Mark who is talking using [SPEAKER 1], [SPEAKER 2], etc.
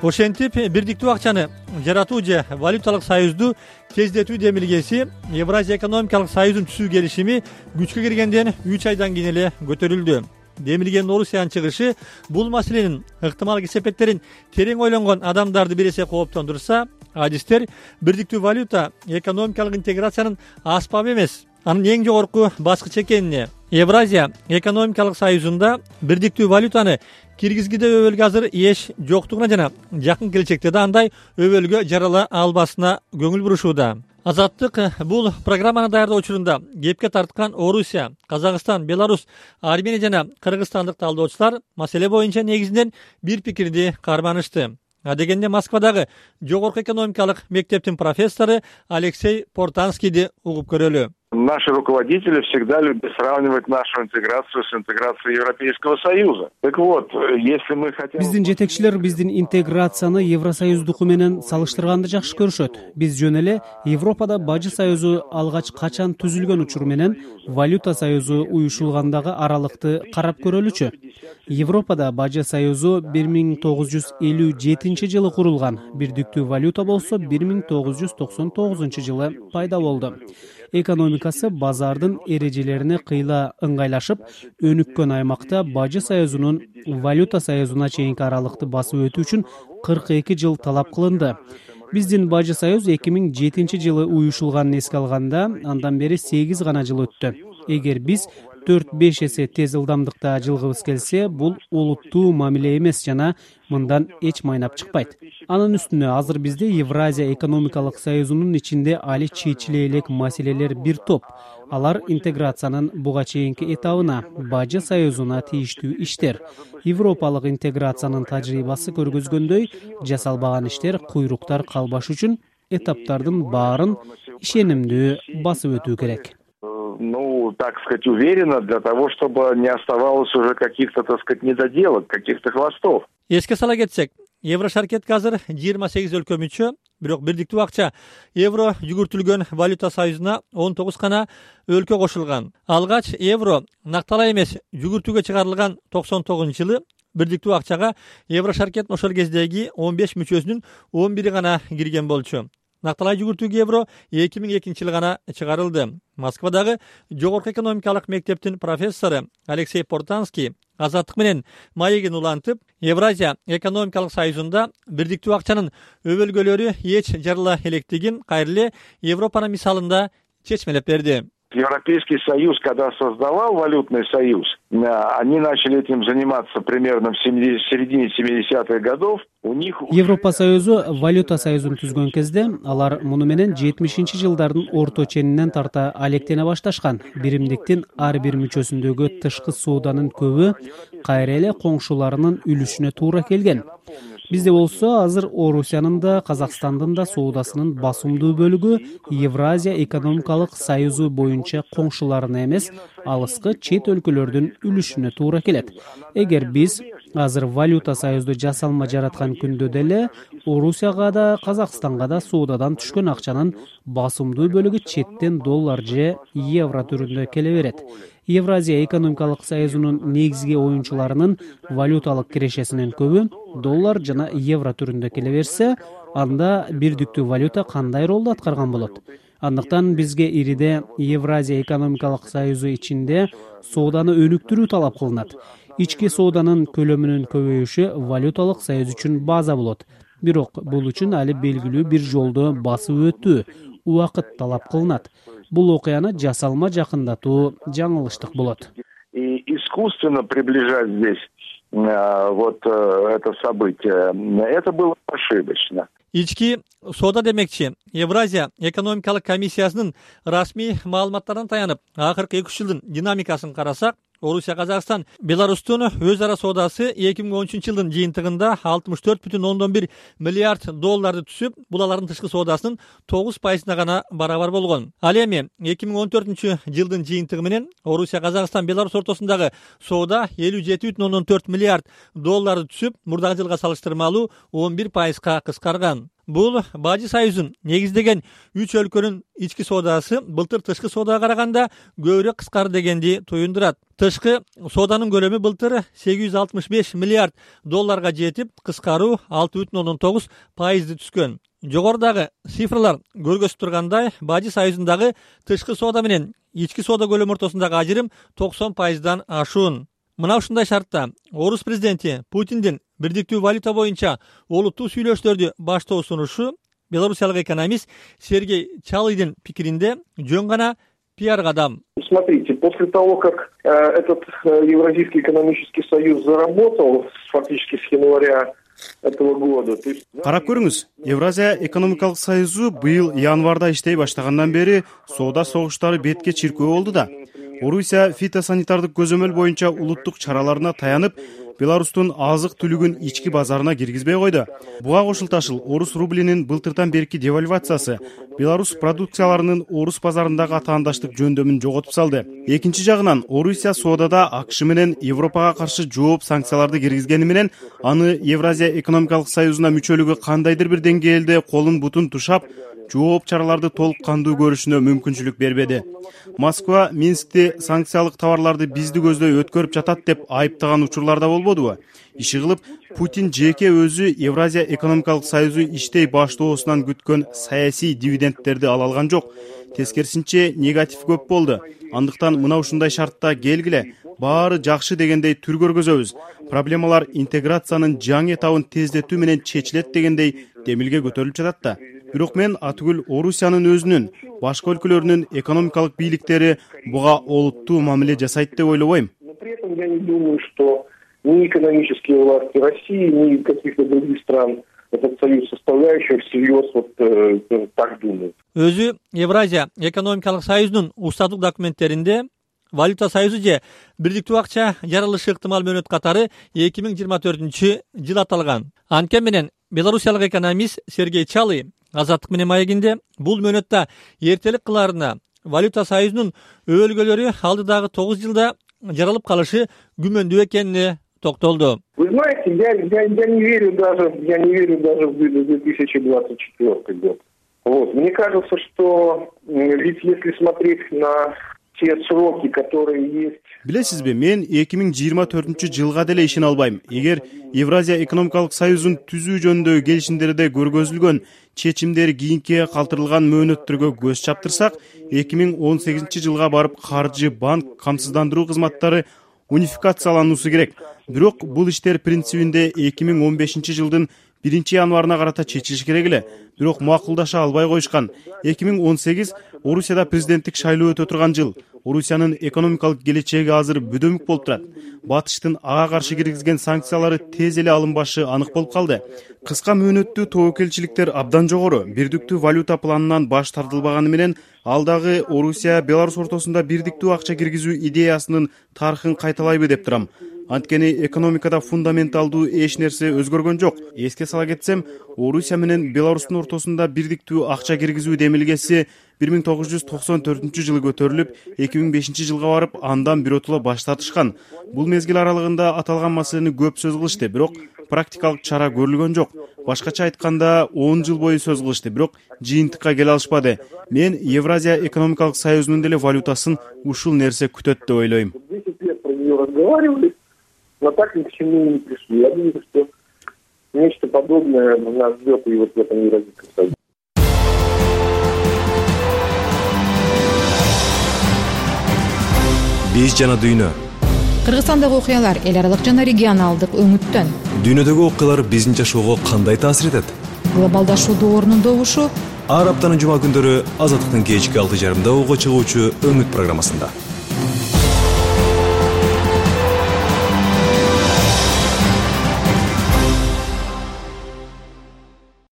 [SPEAKER 1] Ошентип бирдиктүү акчаны жаратуу же валюталык союзду тездетүү демилгеси Евразия экономикалык союзун түзүү келишими күчкө киргенден 3 айдан кийин эле көтөрүлдү. Демилгенин Орусиянын чыгышы бул маселенин ыктымал кесепеттерин терең ойлонгон адамдарды бир эсе кооптондурса, адистер бирдиктүү валюта экономикалык интеграциянын аспабы эмес, анын эң жогорку баскычы экенине, Евразия экономикалык союзунда бирдиктүү валютаны киргизгиде өбөлгө азыр эч жоктугуна жана жакын келечекте да андай өбөлгө жарала албасына көңүл бурушууда. Азаттык бул программаны даярдоо учурунда кепке тарткан Орусия, Казакстан, Беларусь, Армения жана кыргызстандык талдоочулар маселе боюнча негизинен бир пикирди карманышты. Адегенде Москвадагы жогорку экономикалык мектептин профессору Алексей Портанскийди угуп көрөлү.
[SPEAKER 2] Наши руководители всегда любят сравнивать нашу интеграцию с интеграцией Европейского Союза. Так вот, если мы хотим...
[SPEAKER 3] Биздин жетекчилер биздин интеграцияны Евросоюздуку менен салыштырганды жакшы көрүшөт. Биз жөн эле Европада бажы союзу алгач качан түзүлгөн учур менен валюта союзу уюшулгандагы аралыкты карап көрөлүчү. Европада бажы союзу 1957 жылы курулган. Бирдиктүү валюта болсо 1999 жылы пайда болду. Экономикасы базардын эрежелерине кыйла ыңгайлашып, өнүккөн аймакта бажы союзунун валюта союзуна чейинки аралыкты басып өтүү үчүн 42 жыл талап кылынды. Биздин бажы союз 2007 жылы уюшулганын эске алганда, андан бери 8 гана жыл өттү. Эгер биз 4-5 эсе тез ылдамдыкта жылгыбыз келсе, бул олуттуу мамиле эмес жана мындан эч майнап чыкпайт. Анын үстүнө азыр бизде Евразия экономикалык союзунун ичинде али чечиле элек маселелер бир топ. Алар интеграциянын буга чейинки этабына, бажы союзуна тийиштүү иштер. Европалык интеграциянын тажрыйбасы көргөзгөндөй, жасалбаган иштер, куйруктар калбаш үчүн этаптардын баарын ишенимдүү басып өтүү керек.
[SPEAKER 2] Так сказать, уверенно, для того, чтобы не оставалось уже каких-то, так сказать, недоделок, каких-то хвостов.
[SPEAKER 1] Эске сала кетсек, Еврошаркетке азыр 28 өлкө мүчө, бирок бирдиктүү акча евро жүгүртүлгөн валюта союзуна 19 гана өлкө кошулган. Алгач евро накталай эмес жүгүртүүгө чыгарылган 99-жылы бирдиктүү акчага Еврошаркет ошол кездеги 15 мүчөсүнүн 11 гана кирген болчу. Накталай жүгүртүүгө евро 2002 жылы гана чыгарылды. Москвадагы жогорку экономикалык мектептин профессору Алексей Портанский азаттык менен маегин улантып, Евразия экономикалык союзунда бирдиктүү акчанын өбөлгөлөрү эч жарыла электигин кайрыле Европанын мисалында чечмелеп берди.
[SPEAKER 2] Европейский Союз, когда создавал валютный союз, они начали этим заниматься примерно в середине 70-х годов.
[SPEAKER 3] Европа союзу валюта союзун түзгөн кезде алар муну менен 70-жылдардын орто ченинен тарта алектене башташкан. Биримдиктин ар бир мүчөсүндөгү тышкы сооданын көбү кайра эле коңшуларынын үлүшүнө туура келген. Бизде болсо азыр Орусиянын да, Казакстандын да соодасынын басымдуу бөлүгү Евразия экономикалык союзу боюнча коңшуларына эмес, алыскы чет өлкөлөрдүн үлүшүнө туура келет. Эгер биз азыр валюта союзду жасалма жараткан күндө деле Орусияга да, Казакстанга да соодадан түшкөн акчанын басымдуу бөлүгү четтен доллар же евро түрүндө келе берет. Евразия экономикалык союзунун негизги оюнчуларынын валюталык кирешесинин көбү доллар жана евро түрүндө келе берсе, анда бирдиктүү валюта кандай ролду аткарган болот? Андыктан бизге ириде Евразия экономикалык союзу ичинде сооданы өнүктүрүү талап кылынат. Ички сооданын көлөмүнүн көбөйүшү валюталык союз үчүн база болот. Бирок бул үчүн али белгилүү бир жолду басып өтүү, убакыт талап кылынат. Бул окуяны жасалма жакындатуу жаңылыштык болот.
[SPEAKER 2] И искусственно приближать здесь вот это событие, это было ошибочно.
[SPEAKER 1] Ички соода демекчи, Евразия экономикалык комиссиясынын расмий маалыматтарына таянып, акыркы 2 жылдын динамикасын карасак, Орусия, Казакстан, Беларустун өз ара соодасы 2013 жылдын жыйынтыгында 64,1 миллиард долларды түшүп, бул алардын тышкы соодасынын 9% гана барабар болгон. Ал эми 2014 жылдын жыйынтыгы менен Орусия, Казакстан, Беларусь ортосундагы соода 57,4 миллиард долларды түшүп, мурдагы жылга салыштырмалуу 11%га кыскарган. Бул Бажы Союзун негиздеген 3 өлкөнүн ички соодасы былтыр тышкы соодага караганда көбүрөөк кыскарды дегенди туюндурат. Тышкы сооданын көлөмү былтыр $865 миллиард жетип, кыскаруу 6,9% түскөн. Жогорудагы цифрлар көргөзүп тургандай, Бажы Союзундагы тышкы соода менен ички соода көлөмү ортосундагы ажырым 90%дан ашуун. Мына ушундай шартта орус президенти Путиндин бирдиктүү валюта боюнча олуттуу сүйлөшүүлөрдү баштоо сунушу белорусиялык экономист Сергей Чалыйдын пикиринде жөн гана пиар кадам.
[SPEAKER 4] Смотрите, после того, как этот Евразийский экономический союз заработал фактически с января этого года.
[SPEAKER 5] Карап көрүңүз, Евразия экономикалык союзу быйыл январда иштей баштагандан бери соода согуштары бетке чиркөө болду да. Орусия фитосанитардык көзөмөл боюнча улуттук чараларына таянып, Беларустун азык-түлүгүн ички базарына киргизбей койду. Буга кошулташыл орус рублинин былтырдан берки девальвациясы Беларус продукцияларынын орус базарындагы атаандаштык жөндөмүн жоготуп салды. Экинчи жагынан Орусия соодада АКШ менен Европага каршы жооп санкцияларды киргизгени менен аны Евразия экономикалык союзуна мүчөлүгү кандайдыр бир деңгээлде колун бутун тушап, жооп чараларды толук кандуу көрүшүнө мүмкүнчүлүк бербеди. Москва Минскти санкциялык товарларды бизди көздөй өткөрүп жатат деп айыптаган учурларда болбодубу? Иши кылып, Путин жеке өзү Евразия экономикалык союзу иштей баштоосунан күткөн саясий дивидендтерди ала алган жок. Тескерисинче негатив көп болду. Андыктан мына ушундай шартта келгиле, баары жакшы дегендей түр көргөзөбүз. Проблемалар интеграциянын жаңы этабын тездетүү менен чечилет дегендей демилге көтөрүлүп жатат да. Бирок мен атүгүл Орусиянын өзүнүн, башка өлкөлөрдүн экономикалык бийликтери буга олуттуу мамиле жасайт деп ойлобойм.
[SPEAKER 4] При этом я не думаю, что ни экономические власти России, ни каких-то других стран этот союз составляющих всерьез так думают.
[SPEAKER 1] Өзү Евразия экономикалык союзунун устаттык документтеринде валюта союзу же бирдиктүү акча жарылышы ыктымал мөөнөт катары 2024-жыл аталган. Анткени менен белорусиялык экономист Сергей Чалый Азаттык менен маегинде бул мөөнөттө эртелик кылаарына валюта союзунун өбөлгөлөрү алдыдагы 9 жылда жаралып калышы күмөндүү экенине токтолду.
[SPEAKER 4] Вы знаете, я не верю даже в 2024 год. Вот. Мне кажется, что ведь если смотреть на те сроки, которые есть.
[SPEAKER 5] Билесизби, мен 2024-жылга деле ишене албайм. Эгер Евразия экономикалык союзун түзүү жөнүндөгү келишимдерде көргөзүлгөн чечимдер кийинкиге калтырылган мөөнөттөргө көз чаптырсак, 2018-жылга барып каржы, банк, камсыздандыруу кызматтары унификациялануусу керек. Бирок бул иштер принцибинде 2015-жылдын 1-январына карата чечилиш керек эле. Бирок макулдаша албай коюшкан. 2018 Орусияда президенттик шайлоо өтө турган жыл. Орусиянын экономикалык келечеги азыр бүдөмүк болуп турат. Батыштын ага каршы киргизген санкциялары тез эле алынбашы анык болуп калды. Кыска мөөнөттүү тобокелчиликтер абдан жогору. Бирдиктүү валюта планынан баш тартылбаганы менен ал дагы Орусия Беларусь ортосунда бирдиктүү акча киргизүү идеясынын тарыхын кайталайбы деп турам. Анткени экономикада фундаменталдуу эч нерсе өзгөргөн жок. Эске сала кетсем, Орусия менен Беларустун ортосунда бирдиктүү акча киргизүү демилгеси 1994-жылы көтөрүлүп, 2005-жылга барып, андан биротоло баш тартышкан. Бул мезгил аралыгында аталган маселени көп сөз кылышты, бирок практикалык чара көрүлгөн жок. Башкача айтканда 10 жыл бою сөз кылышты, бирок жыйынтыкка келе алышпады. Мен Евразия экономикалык союзунун деле валютасын ушул нерсе күтөт деп ойлойм.
[SPEAKER 4] 10 лет про неё разговаривали, но так ни к чему не пришли. Я думаю, что нечто подобное нас ждет и вот в этом Евразийском союзе.
[SPEAKER 6] Биз жана дүйнө.
[SPEAKER 7] Кыргызстандагы окуялар эл аралык жана регионалдык өңүттөн.
[SPEAKER 6] Дүйнөдөгү окуялар биздин жашоого кандай таасир этет?
[SPEAKER 7] Глобалдашуудун орнундогушу
[SPEAKER 6] ар аптанын жума күндөрү Азаттыктын кечки 6:30 чыгуучу өңүт программасында.